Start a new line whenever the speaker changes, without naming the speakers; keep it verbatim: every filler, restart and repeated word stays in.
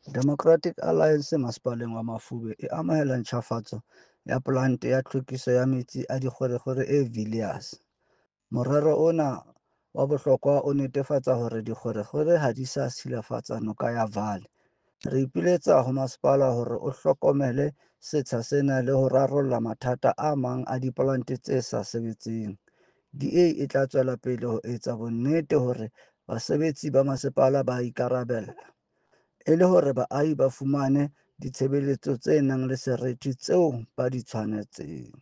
Democratic Alliance Masepaleng wa Mafube e amohela ntjhafatso ya polante ya tlhwekiso ya metsi a dikgwerekgwere e Villiers. Morero ona wa bohlokwa o netefatsa hore dikgwerekgwere ha di sa silafatsa noka ya Vaal. Re ipiletsa ho masepala hore o hlokomele setsha sena le ho rarolla mathata a mang a dipolante tse sa sebetseng. D A e tla tswela pele ho etsa bonnete hore basebetsi ba masepala ba ikarabella, e le hore baahi ba fumane ditshebeletso tse nang le seriti tseo ba di tshwanetseng.